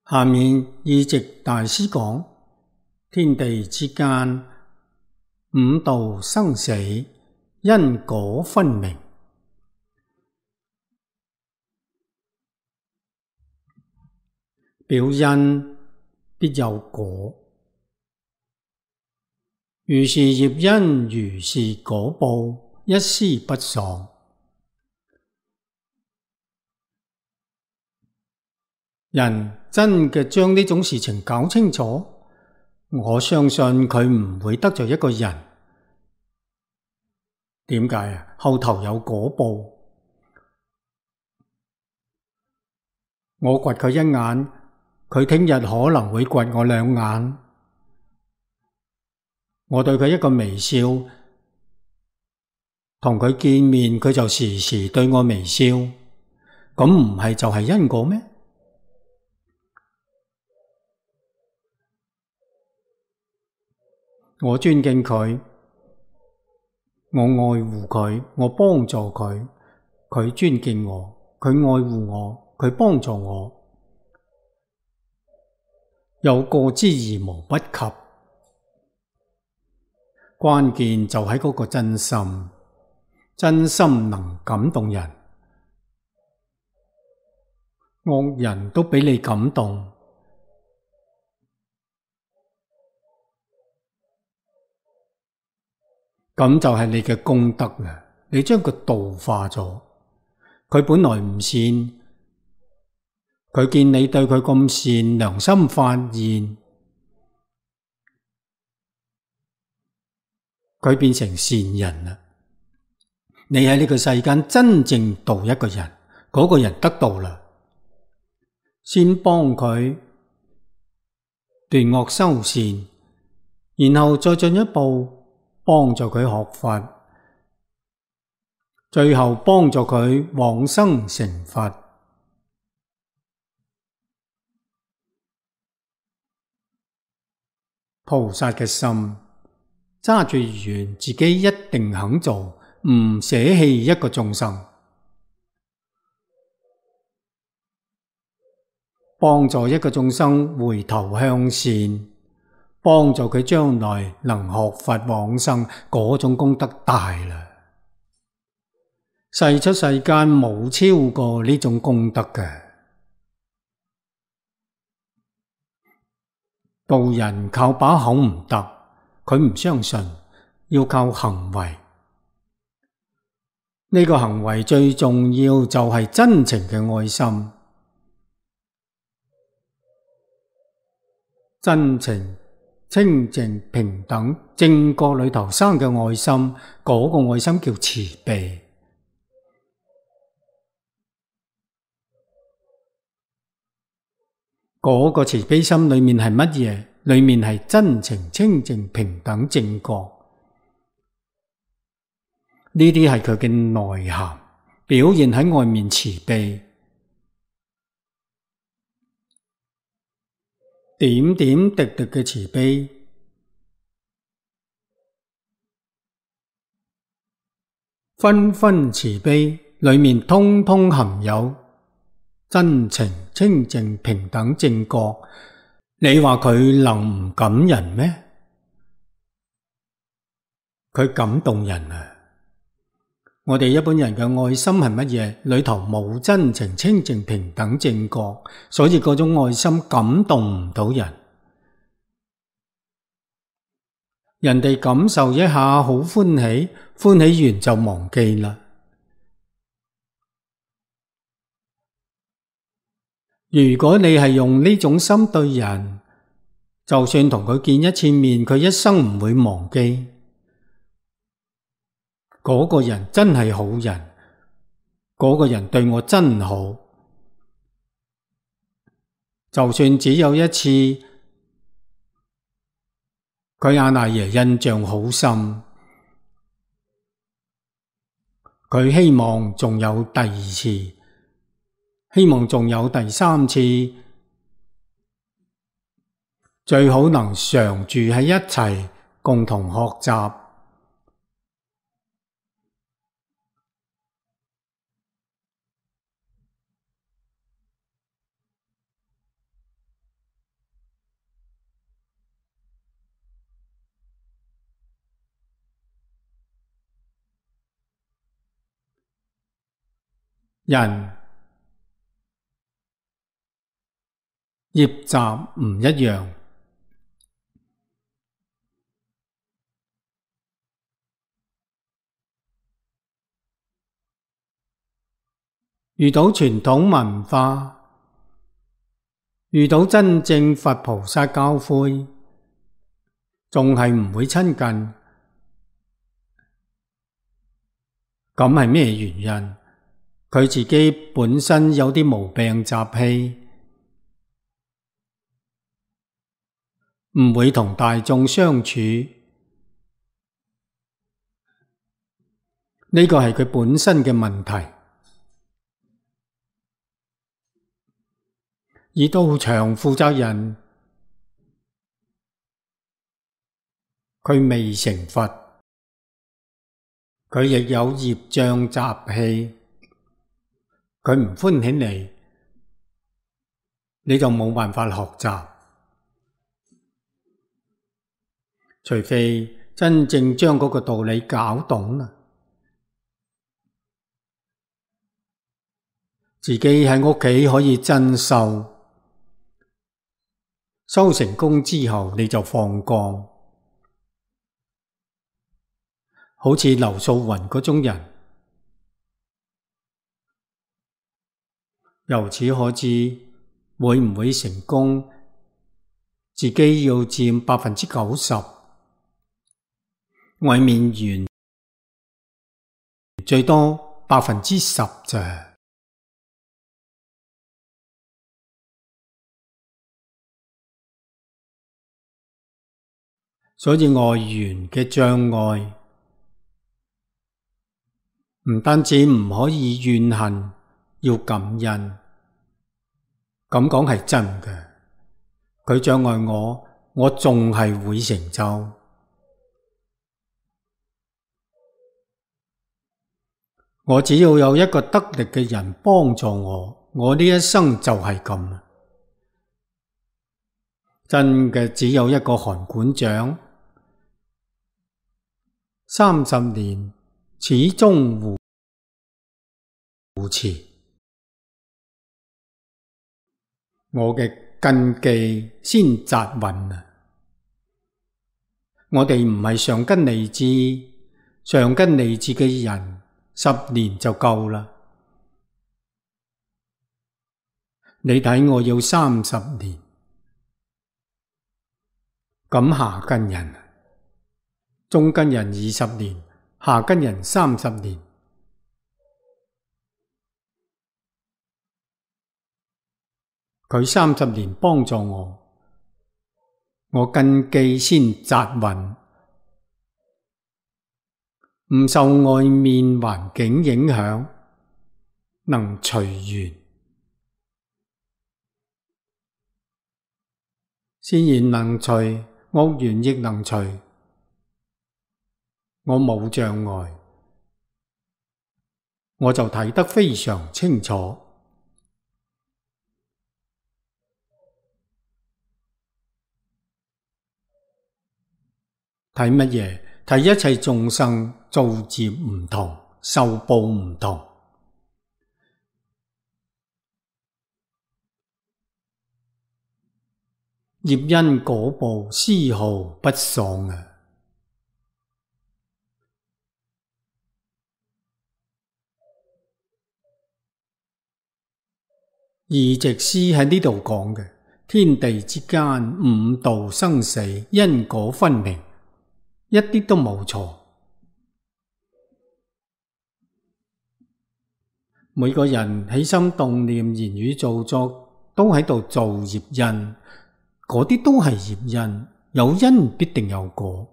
下面意寂大師講：天地之間，五道生死，因果分明。表因必有果，如是業因，如是果報，一絲不爽。人真嘅將呢種事情搞清楚，我相信佢唔會得罪一個人。點解啊？後頭有果報，我掘佢一眼，佢聽日可能會掘我兩眼。我對佢一個微笑，同佢見面，佢就時時對我微笑，咁唔係就係因果咩？我尊敬佢，我愛護佢，我幫助佢，佢尊敬我，佢愛護我，佢幫助我，有過之而無不及。關鍵就喺嗰個真心，真心能感動人，惡人都俾你感動，咁就係你嘅功德啦。你將佢度化咗，佢本來唔善，佢見你對佢咁善，良心發現，佢變成善人啦。你喺呢個世間真正度一個人，嗰個人得道啦，先幫佢斷惡修善，然後再進一步幫助佢學佛，最後幫助佢往生成佛。菩薩嘅心揸住緣，自己一定肯做，唔捨棄一個眾生，幫助一個眾生回頭向善，幫助佢將來能學佛往生，嗰種功德大啦。世出世間冇超過呢種功德嘅。道人靠把口唔得，佢唔相信，要靠行為。呢個行為最重要就係真情嘅愛心，真情、清淨、平等、正覺裏頭生嘅愛心，嗰個愛心叫慈悲。嗰個慈悲心裏面係乜嘢？裏面係真情、清淨、平等、正覺。呢啲係佢嘅內涵，表現喺外面慈悲。點點滴滴嘅慈悲，分分慈悲，裏面通通含有真情、清淨、平等、正覺。你話佢能唔感人咩？佢感動人啊！我哋一般人嘅愛心係乜嘢？裏頭冇真情、清淨、平等、正覺，所以嗰種愛心感動唔到人。人哋感受一下好歡喜，歡喜完就忘記啦。如果你係用呢種心對人，就算同佢見一次面，佢一生唔會忘記。嗰個人真係好人，嗰個人對我真好。就算只有一次，佢阿賴耶印象好深，佢希望仲有第二次，希望仲有第三次，最好能常住喺一齊，共同學習。人業習唔一樣，遇到傳統文化，遇到真正佛菩薩教誨，仲係唔會親近，咁係咩原因？佢自己本身有啲毛病習氣，唔會同大眾相處，呢個係佢本身嘅問題。而道場負責人，佢未成佛，佢亦有業障習氣，佢唔歡喜你就冇辦法學習。除非真正將嗰個道理搞懂啦，自己喺屋企可以鎮受，修成功之後你就放光，好似劉素雲嗰種人。由此可知，會唔會成功，自己要佔90%，外面緣最多10%咋。所以外緣嘅障礙，唔單止唔可以怨恨，要感恩。咁講係真嘅，佢障礙我仲係會成就。我只要有一個得力嘅人幫助我呢一生就係咁。真嘅只有一個韓館長，30年始終護持，我嘅根基先扎穩啊！我哋唔係上根利智，上根利智嘅人10年就夠啦。你睇我要30年，咁下根人，中根人20年，下根人30年。佢30年幫助我根基先扎穩，唔受外面環境影響，能隨緣，善言能隨，惡緣亦能隨，我冇障礙，我就睇得非常清楚。睇乜嘢？睇一切眾生造業唔同，受報唔同。業因果報絲毫不爽啊！義直師喺呢度講嘅，天地之間五道生死，因果分明，一啲都冇錯。每個人起心動念、言語造作，都喺度造業因，嗰啲都係業因，有因必定有果。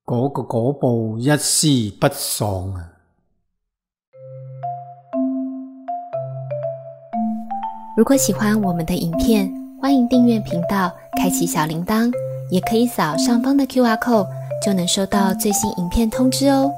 嗰個果報一絲不爽啊！如果喜歡我們的影片，歡迎訂閱頻道，開啟小鈴鐺，也可以掃上方的QR code，就能收到最新影片通知哦。